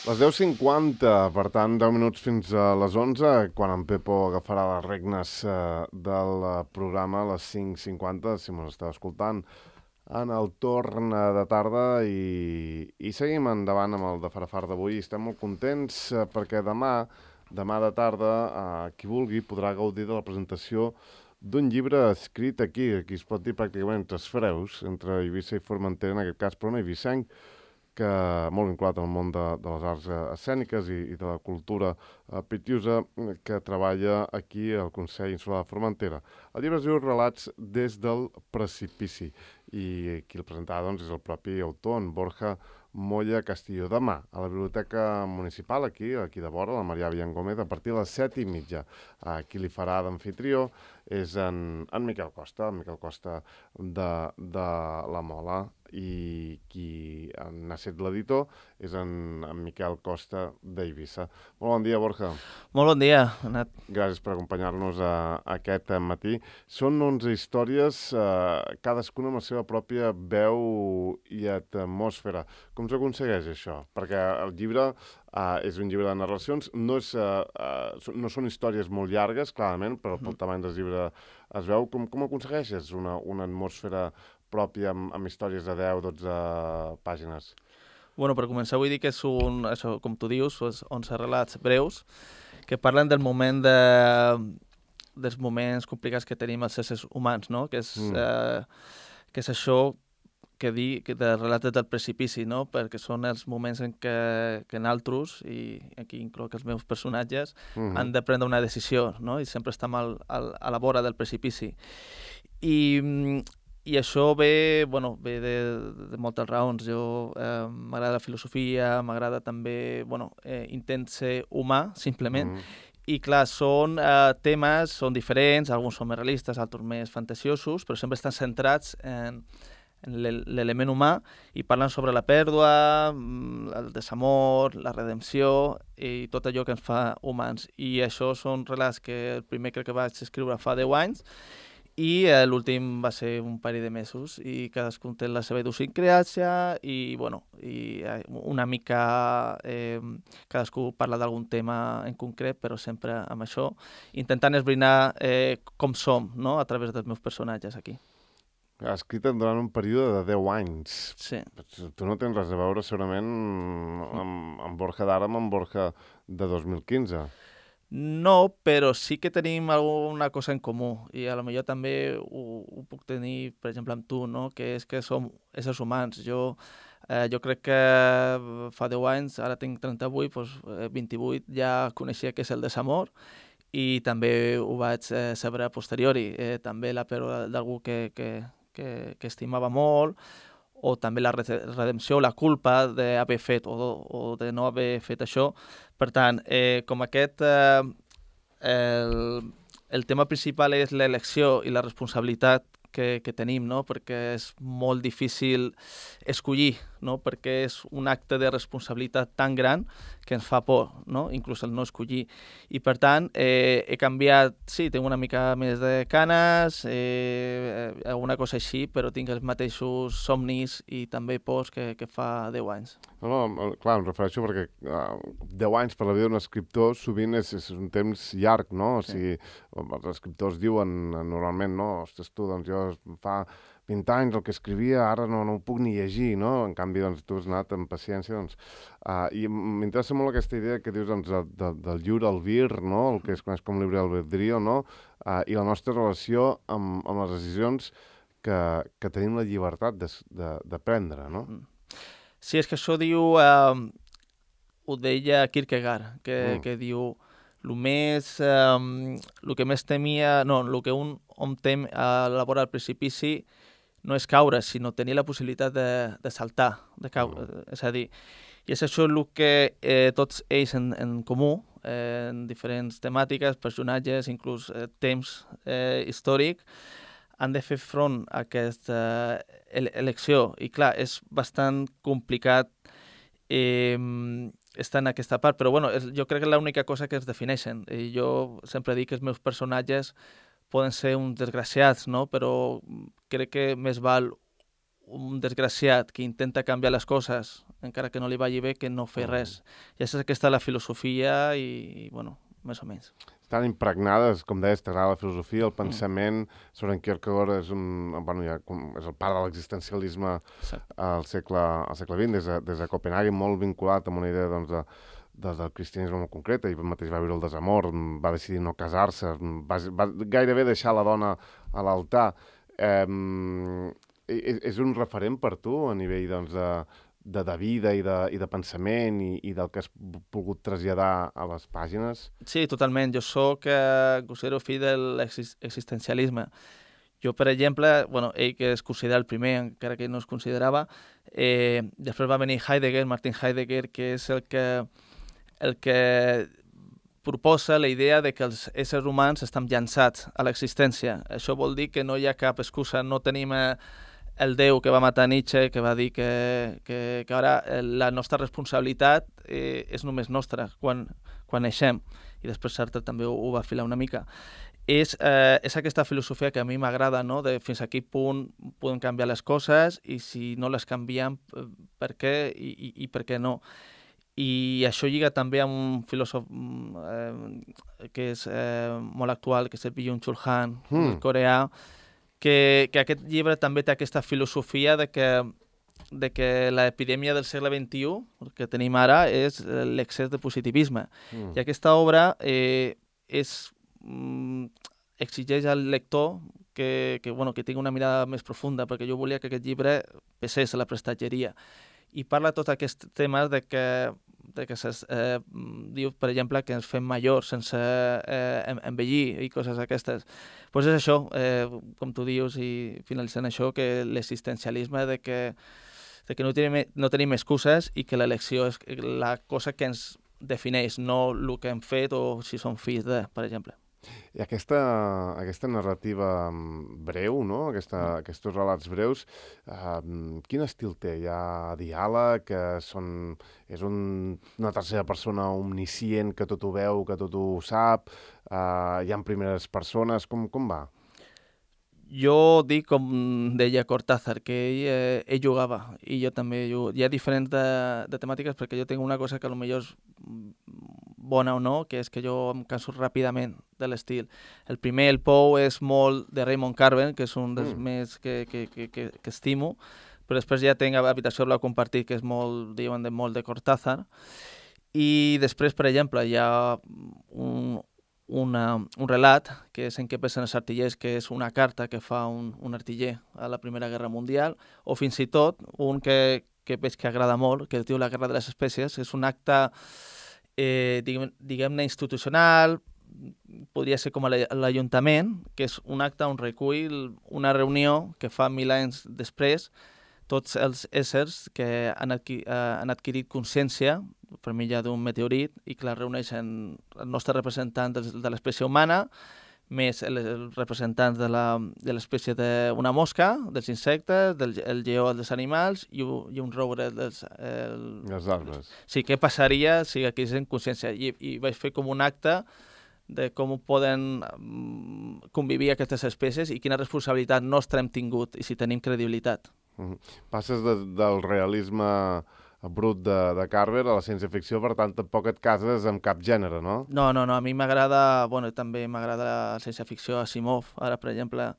Les 10:50, per tant, 10 minuts fins a les 11, quan en Pepo agafarà les regnes del programa a les 5:50, si mos esteu escoltant, en el torn de tarda i seguim endavant amb el de Farafar d'avui. Estem molt contents perquè demà de tarda, qui vulgui podrà gaudir de la presentació d'un llibre escrit aquí es pot dir pràcticament entre freus, entre Eivissa i Formentera, en aquest cas, però un eivissenc, que molt vinculat al món de les arts escèniques i de la cultura pitiusa, que treballa aquí al Consell Insular de Formentera. El llibre es diu Relats des del precipici i qui el presentarà doncs, és el propi autor, en Borja Moya Castillo. Demà, a la Biblioteca Municipal, aquí de vora, la Marià Villangómez, a partir de les 7:30. Qui li farà d'amfitrió és en Miquel Costa, de la Mola, i qui n'ha set l'editor és en Miquel Costa d'Eivissa. Molt bon dia, Borja. Molt bon dia, Anat. Gràcies per acompanyar-nos aquest matí. Són 11 històries, cadascuna amb la seva pròpia veu i atmosfera. Com s'aconsegueix això? Perquè el llibre és un llibre de narracions, no són històries molt llargues, clarament, però pel tamany del llibre es veu. Com aconsegueixes una atmosfera pròpia amb històries de 10-12 pàgines? Bueno, per començar vull dir que és això, com tu dius, 11 relats breus que parlen dels moments complicats que tenim els éssers humans, no? Que és això que de relats del precipici, no? Perquè són els moments en què nosaltres, i aquí incloc els meus personatges, han de prendre una decisió, no? I sempre estem a la vora del precipici. I això ve de moltes raons. Jo m'agrada la filosofia, m'agrada també, intent ser humà, simplement. I clar, són temes, són diferents, alguns són més realistes, altres més fantasiosos, però sempre estan centrats en l'element humà i parlen sobre la pèrdua, el desamor, la redempció i tot allò que ens fa humans. I això són relats que el primer crec que vaig escriure fa 10 anys i l'últim va ser un parell de mesos i cadascun té la seva idiosincràsia i una mica cadascú parla d'algun tema en concret, però sempre amb això, intentant esbrinar com som, no?, a través dels meus personatges aquí. Has escrit durant un període de 10 anys. Sí. Tu no tens res a veure segurament amb Borja d'ara, amb Borja de 2015. No, però sí que tenim alguna cosa en comú i a lo millor també ho puc tenir, per exemple, amb tu, no? Que és que som éssers humans. Jo crec que fa 10 anys, ara tinc 38, doncs 28 ja coneixia què és el desamor i també ho vaig saber a posteriori. També la pèrdua d'algú que estimava molt, o també la redempció, la culpa d'haver fet o de no haver fet això. Per tant, com aquest, el tema principal és l'elecció i la responsabilitat que tenim, no? Perquè és molt difícil escollir, no? Perquè és un acte de responsabilitat tan gran que ens fa por, no? Inclús el no escollir. I per tant, he canviat, sí, tinc una mica més de canes, alguna cosa així, però tinc els mateixos somnis i també pors que fa 10 anys. No, clar, em refereixo perquè 10 anys per la vida d'un escriptor sovint és un temps llarg, no? O sigui, els escriptors diuen normalment, no? Ostres, tu, doncs jo fa 20 anys el que escrivia, ara no ho puc ni llegir, no? En canvi, doncs, tu has anat amb paciència, doncs. I m'interessa molt aquesta idea que dius, doncs, del lliure albir, no? El que es coneix com llibre albedrío, no? I la nostra relació amb les decisions que tenim la llibertat de prendre, no? Sí, és que això diu, ho deia Kierkegaard, que diu el que més temia, no, el que un hom tem a la vora del precipici no és caure, sinó tenir la possibilitat de saltar, de caure. És a dir, i és això el que tots ells en comú, en diferents temàtiques, personatges, inclús temps històric, han de fer front a aquesta elecció. I clar, és bastant complicat estar en aquesta part, però bueno, jo crec que és l'única cosa que es defineixen. I jo sempre dic que els meus personatges poden ser uns desgraciats, no? Però crec que més val un desgraciat que intenta canviar les coses encara que no li vagi bé, que no fer res. I és aquesta la filosofia i bueno, més o menys. Estan impregnades, com deies, t'agrada la filosofia, el pensament. Søren Kierkegaard és és el pare de l'existencialisme al segle XX, des de Copenhague, molt vinculat amb una idea del cristianisme molt concreta, i mateix va viure el desamor, va decidir no casar-se, va gairebé deixar la dona a l'altar. És un referent per tu a nivell de vida i de pensament i del que has pogut traslladar a les pàgines? Sí, totalment. Jo considero fill de l'existencialisme. Jo, per exemple, ell que es considera el primer, encara que no es considerava, després va venir Martin Heidegger, que és el que proposa la idea de que els éssers humans estan llançats a l'existència. Això vol dir que no hi ha cap excusa, no tenim el Déu que va matar Nietzsche, que va dir que ara la nostra responsabilitat és només nostra quan naixem, i després Sartre també ho va filar una mica. És aquesta filosofia que a mi m'agrada, no? De fins a quin punt podem canviar les coses i si no les canviem, per què i per què no. I això lliga també amb un filòsof que és molt actual, que és el Byung-Chul Han, coreà, que aquest llibre també té aquesta filosofia de que l'epidèmia del segle XXI que tenim ara és l'excés de positivisme. I aquesta obra exigeix al lector que tingui una mirada més profunda, perquè jo volia que aquest llibre pesés a la prestatgeria. I parla tots aquests temes de que diu, per exemple, que ens fem majors sense envellir i coses aquestes. Doncs és això, com tu dius, i finalitzant això, que l'existencialisme de que no tenim excuses i que l'elecció és la cosa que ens defineix, no el que hem fet o si som fills de, per exemple. I aquesta narrativa breu, no? Aquests relats breus, quin estil té? Hi ha diàleg, és una tercera persona omniscient que tot ho veu, que tot ho sap, hi ha primeres persones, com va? Jo dic, com deia Cortázar, que ell jugava, i jo també jugo. Hi ha diferents de temàtiques, perquè jo tinc una cosa que potser és bona o no, que és que jo em canso ràpidament de l'estil. El primer, El Pou, és molt de Raymond Carver, que és un dels més que estimo, però després ja tinc Habitació Blau Compartit, que és molt de Cortázar. I després, per exemple, hi ha un relat, que és En què pensen els artillers, que és una carta que fa un artiller a la Primera Guerra Mundial, o fins i tot un que veig que agrada molt, que es diu La Guerra de les Espècies, és un acte diguem-ne institucional, podria ser com l'Ajuntament, que és un acte on recull una reunió que fa 1000 anys després tots els éssers que han adquirit consciència per mitjà d'un meteorit i que la reuneixen els nostres representants de l'espècie humana, més els representants de l'espècie d'una mosca, dels insectes, el lleó dels animals i un roure dels arbres. Sí, què passaria si haguessin consciència? I vaig fer com un acte de com poden convivir aquestes espècies i quina responsabilitat nostra hem tingut i si tenim credibilitat. Passes del realisme brut de Carver a la ciència-ficció, per tant, tampoc et cases amb cap gènere, no? No, a mi m'agrada, també m'agrada la ciència-ficció Asimov, ara, per exemple,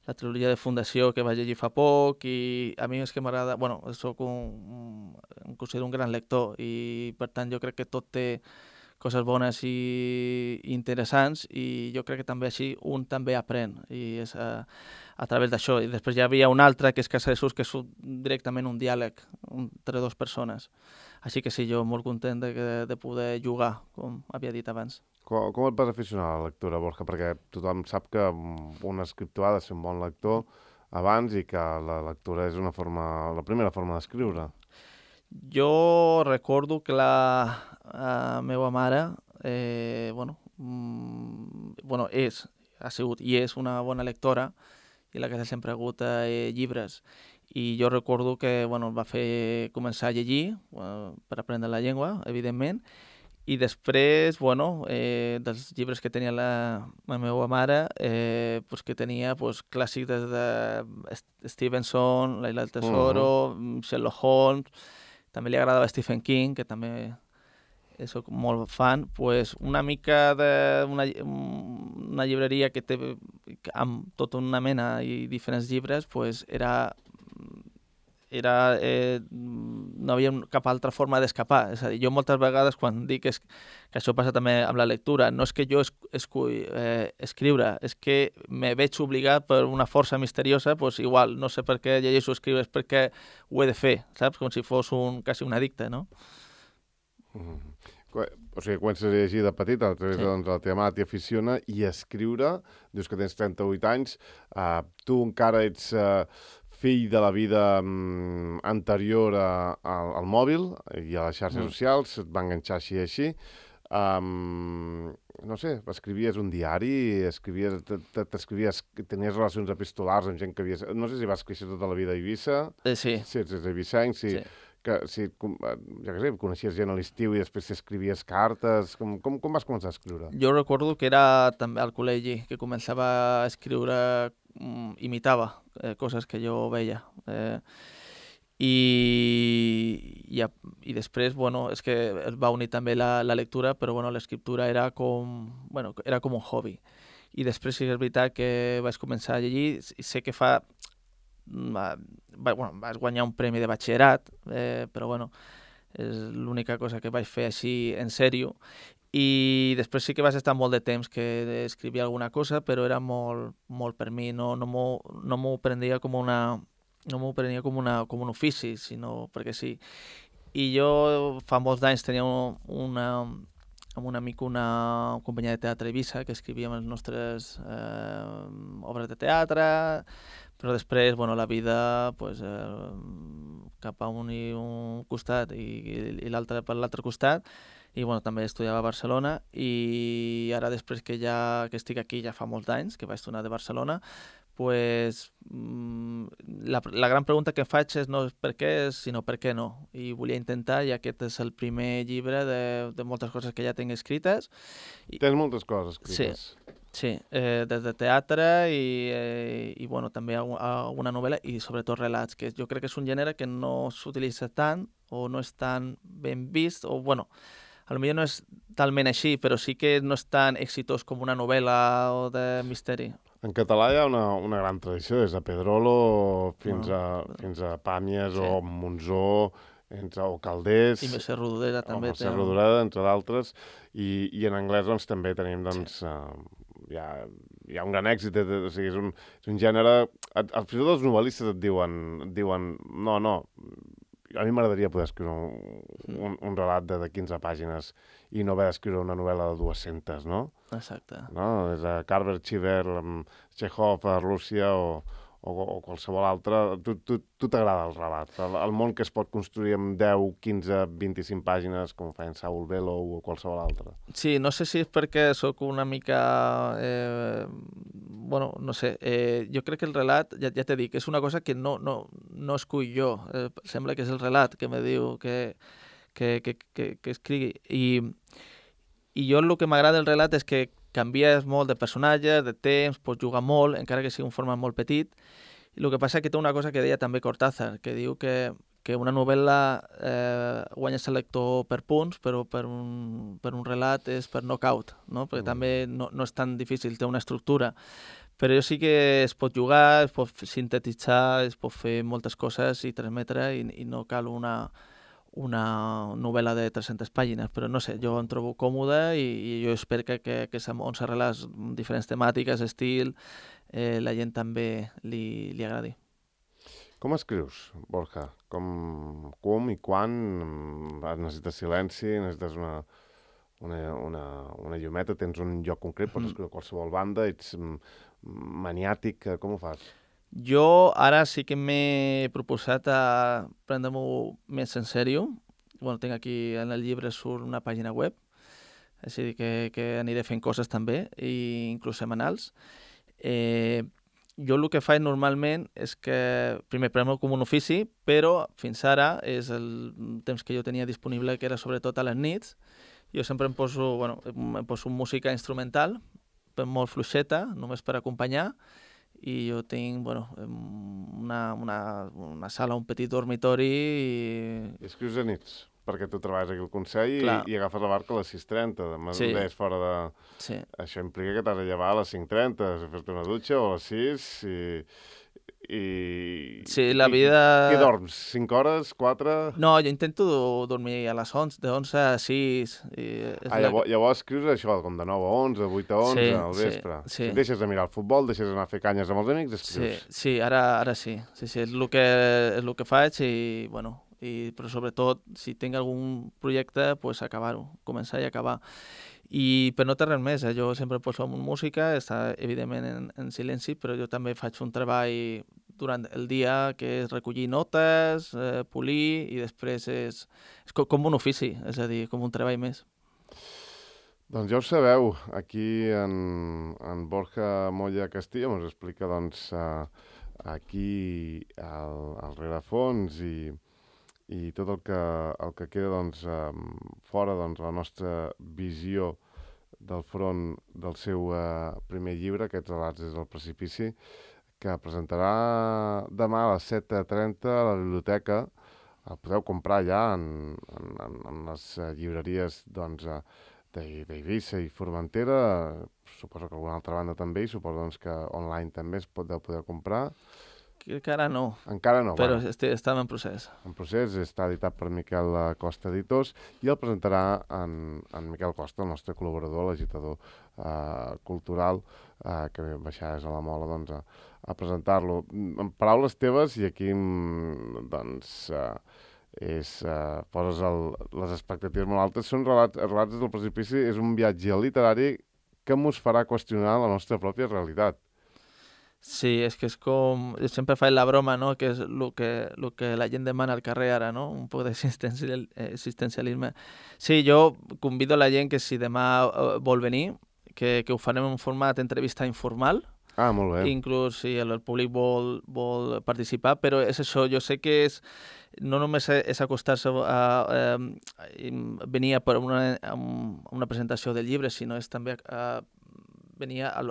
la trilogia de Fundació que vaig llegir fa poc, i a mi és que m'agrada, soc em considero un gran lector, i per tant jo crec que tot té coses bones i interessants, i jo crec que també així un també aprèn, i és a través d'això. I després hi havia un altre, que és Casa de Sus, que és directament un diàleg entre dues persones. Així que sí, jo molt content de poder jugar, com havia dit abans. Com et vas aficionar a la lectura, Borja? Perquè tothom sap que un escriptor ha de ser un bon lector abans i que la lectura és la primera forma d'escriure. Jo recordo que la meva mare ha sigut i és una bona lectora, i la casa sempre ha hagut llibres. I jo recordo que va fer començar a llegir per aprendre la llengua, evidentment, i després, dels llibres que tenia la meva mare, que tenia clàssics des de Stevenson, L'Isla del Tesoro, Sherlock Holmes, també li agradava Stephen King, que també soc molt fan, pues una mica d'una llibreria que té amb tota una mena i diferents llibres, pues no havia cap altra forma d'escapar. És a dir, jo moltes vegades quan dic que això passa també amb la lectura, no és que jo esculli escriure, és que me veig obligat per una força misteriosa, pues igual, no sé per què llegeixo escriure, és perquè ho he de fer, saps? Com si fos quasi un addicte, no? O sigui, comences a llegir de petit, a través de la teva mare t'aficiona, i a escriure, dius que tens 38 anys, tu encara ets fill de la vida anterior al mòbil i a les xarxes socials, et va enganxar així. No sé, escrivies un diari, t'escrivies, tenies relacions epistolars amb gent que havies... No sé si vas créixer tota la vida a Eivissa. Sí. Sí, ets eivissenc, sí. Que si, ja que sé, coneixies gent a l'estiu i després escrivies cartes, com vas començar a escriure? Jo recordo que era també al col·legi, que començava a escriure, imitava coses que jo veia. I després, bueno, és que es va unir també la lectura, però bueno, l'escriptura era com un hobby. I després sí que és veritat que vaig començar a llegir, i sé que vas guanyar un premi de batxillerat, però bueno, és l'única cosa que vaig fer així en sèrio. I després sí que vaig estar molt de temps que escrivia alguna cosa, però era molt per mi, no m'ho prenia com un ofici, sinó perquè sí. I jo fa molts anys tenia amb un amic una companyia de teatre a Eivissa, que escrivíem les nostres obres de teatre, però després, bueno, la vida, pues, cap a un costat i l'altre per l'altre costat, i bueno, també estudiava a Barcelona, i ara després que estic aquí ja fa molts anys, que vaig tornar de Barcelona, pues, la gran pregunta que em faig no és per què, sinó per què no. I volia intentar, i aquest és el primer llibre de moltes coses que ja tinc escrites. Tens moltes coses escrites. Sí, des de teatre i bueno, també alguna novel·la i sobretot relats, que jo crec que és un gènere que no s'utilitza tant o no és tan ben vist, o bueno, potser no és talment així, però sí que no és tan exitós com una novel·la o de misteri. En català hi ha una gran tradició, des de Pedrolo fins a Pàmies, sí, o Monzó, o Calders... I Mercè Rodoreda també. Mercè Rodoreda, entre d'altres. I en anglès doncs, també tenim... Doncs, sí. Hi ha un gran èxit, o sigui, és un gènere... Fins i tot els novel·listes et diuen no, a mi m'agradaria poder escriure un relat de 15 pàgines i no haver d'escriure una novel·la de 200, no? Exacte. No? Des de Carver, Cheever, Chekhov, Rússia o qualsevol altre. Tu t'agrada el relat, el món que es pot construir amb 10, 15, 25 pàgines, com feien Saul Bellow o qualsevol altre. Sí, no sé si és perquè sóc una mica... bueno, no sé, jo crec que el relat, ja t'he dit, és una cosa que no escull jo. Sembla que és el relat que me diu que escrigui. I jo el que m'agrada del relat és que canvies molt de personatges, de temps, pots jugar molt, encara que sigui un format molt petit. I el que passa és que té una cosa que deia també Cortázar, que diu que una novel·la guanyes el lector per punts, però per un relat és per knockout, no? Perquè també no és tan difícil, té una estructura. Però sí que es pot jugar, es pot sintetitzar, es pot fer moltes coses i transmetre, i no cal una novel·la de 300 pàgines, però no sé, jo em trobo còmode i jo espero que on s'arrela diferents temàtiques, estil, la gent també li agradi. Com escrius, Borja? Com i quan? Necessites silenci? Necessites una llumeta? Tens un lloc concret? Pots escriure a qualsevol banda? Ets maniàtic? Com ho fas? Jo ara sí que m'he proposat a prendre-m'ho més en sèrio. Bueno, tinc aquí en el llibre surt una pàgina web, així que aniré fent coses també, i inclús setmanals. Jo el que faig normalment és que primer premo com un ofici, però fins ara és el temps que jo tenia disponible, que era sobretot a les nits. Jo sempre em poso música instrumental, molt fluixeta, només per acompanyar, i jo tinc, bueno, una sala, un petit dormitori i... I escrius a nits, perquè tu treballes aquí al Consell i agafes la barca a les 6:30, demà Sí. és fora de... Sí. Això implica que t'has de llevar a les 5:30, fer-te una dutxa o a les 6 Sí, la vida... Què dorms? 5 hores? 4? No, jo intento dormir a les 11, de 11 a 6. Llavors escrius això, com de 9 a 11, de 8 a 11, al vespre. Sí. Si deixes de mirar el futbol, deixes d'anar a fer canyes amb els amics, escrius. Sí, ara sí. Sí, és el que faig i, bueno, però sobretot, si tinc algun projecte, pues acabar-ho, començar i acabar. I per no té res més, jo sempre poso música, està evidentment en silenci, però jo també faig un treball durant el dia que és recollir notes, polir, i després és com un ofici, és a dir, com un treball més. Doncs ja ho sabeu, aquí en Borja Moya Castillo ens explica doncs, aquí al rerefons i tot el que queda doncs, fora doncs, la nostra visió del front del seu primer llibre, Aquests relats des del precipici, que presentarà demà a les 7:30 a la biblioteca. El podeu comprar ja en les llibreries doncs, d'Eivissa i Formentera, suposo que alguna altra banda també, i suposo doncs, que online també es pot poder comprar. Encara no. Encara no, però bueno. Estava en procés. En procés, està editat per Miquel Costa Editors i el presentarà en Miquel Costa, el nostre col·laborador, l'agitador cultural, que ve baixades a la Mola doncs, a presentar-lo. En paraules teves, i aquí doncs, poses les expectatives molt altes, són relats des del precipici, és un viatge literari que mos farà qüestionar la nostra pròpia realitat. Sí, és que és com... Jo sempre faig la broma, no?, que és el que la gent demana al carrer ara, no?, un poc d'existencialisme. Sí, jo convido la gent que si demà vol venir, que ho farem en format d'entrevista informal. Ah, molt bé. Inclús si el públic vol participar, però és això, jo sé que no només és acostar-se a venir per una presentació del llibre, sinó és també venir a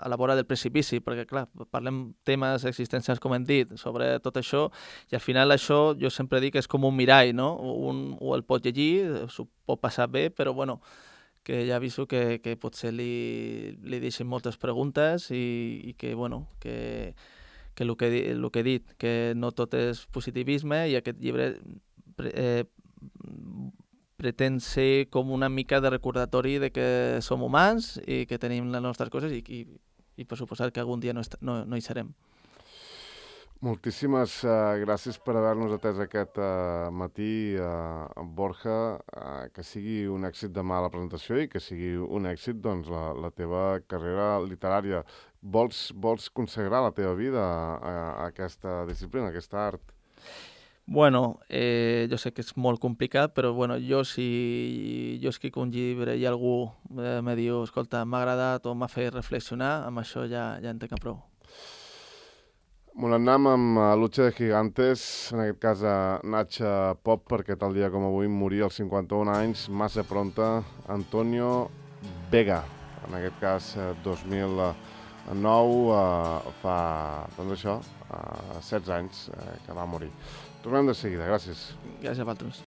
la vora del precipici, perquè, clar, parlem temes existencials, com hem dit, sobre tot això, i al final això, jo sempre dic, és com un mirall, no? O el pot llegir, s'ho pot passar bé, però, bueno, que ja aviso que potser li deixen moltes preguntes i que, bueno, que el que he dit, que no tot és positivisme, i aquest llibre pretén ser com una mica de recordatori de que som humans i que tenim les nostres coses i per suposar que algun dia no hi serem. Moltíssimes gràcies per haver-nos atès aquest matí, Borja. Que sigui un èxit demà a la presentació i que sigui un èxit doncs, la teva carrera literària. Vols consagrar la teva vida a aquesta disciplina, a aquesta art? Bueno, jo sé que és molt complicat, però bueno, si jo escric un llibre i algú me diu, escolta, m'ha agradat o m'ha fet reflexionar, amb això ja en tenc prou. Molt anem amb Lucha de Gigantes, en aquest cas a Nacha Pop, perquè tal dia com avui moria als 51 anys, massa pronta, Antonio Vega. En aquest cas, 2009, fa, doncs això, 16 anys que va morir. Tornem de seguida, gràcies. Gràcies a vosaltres.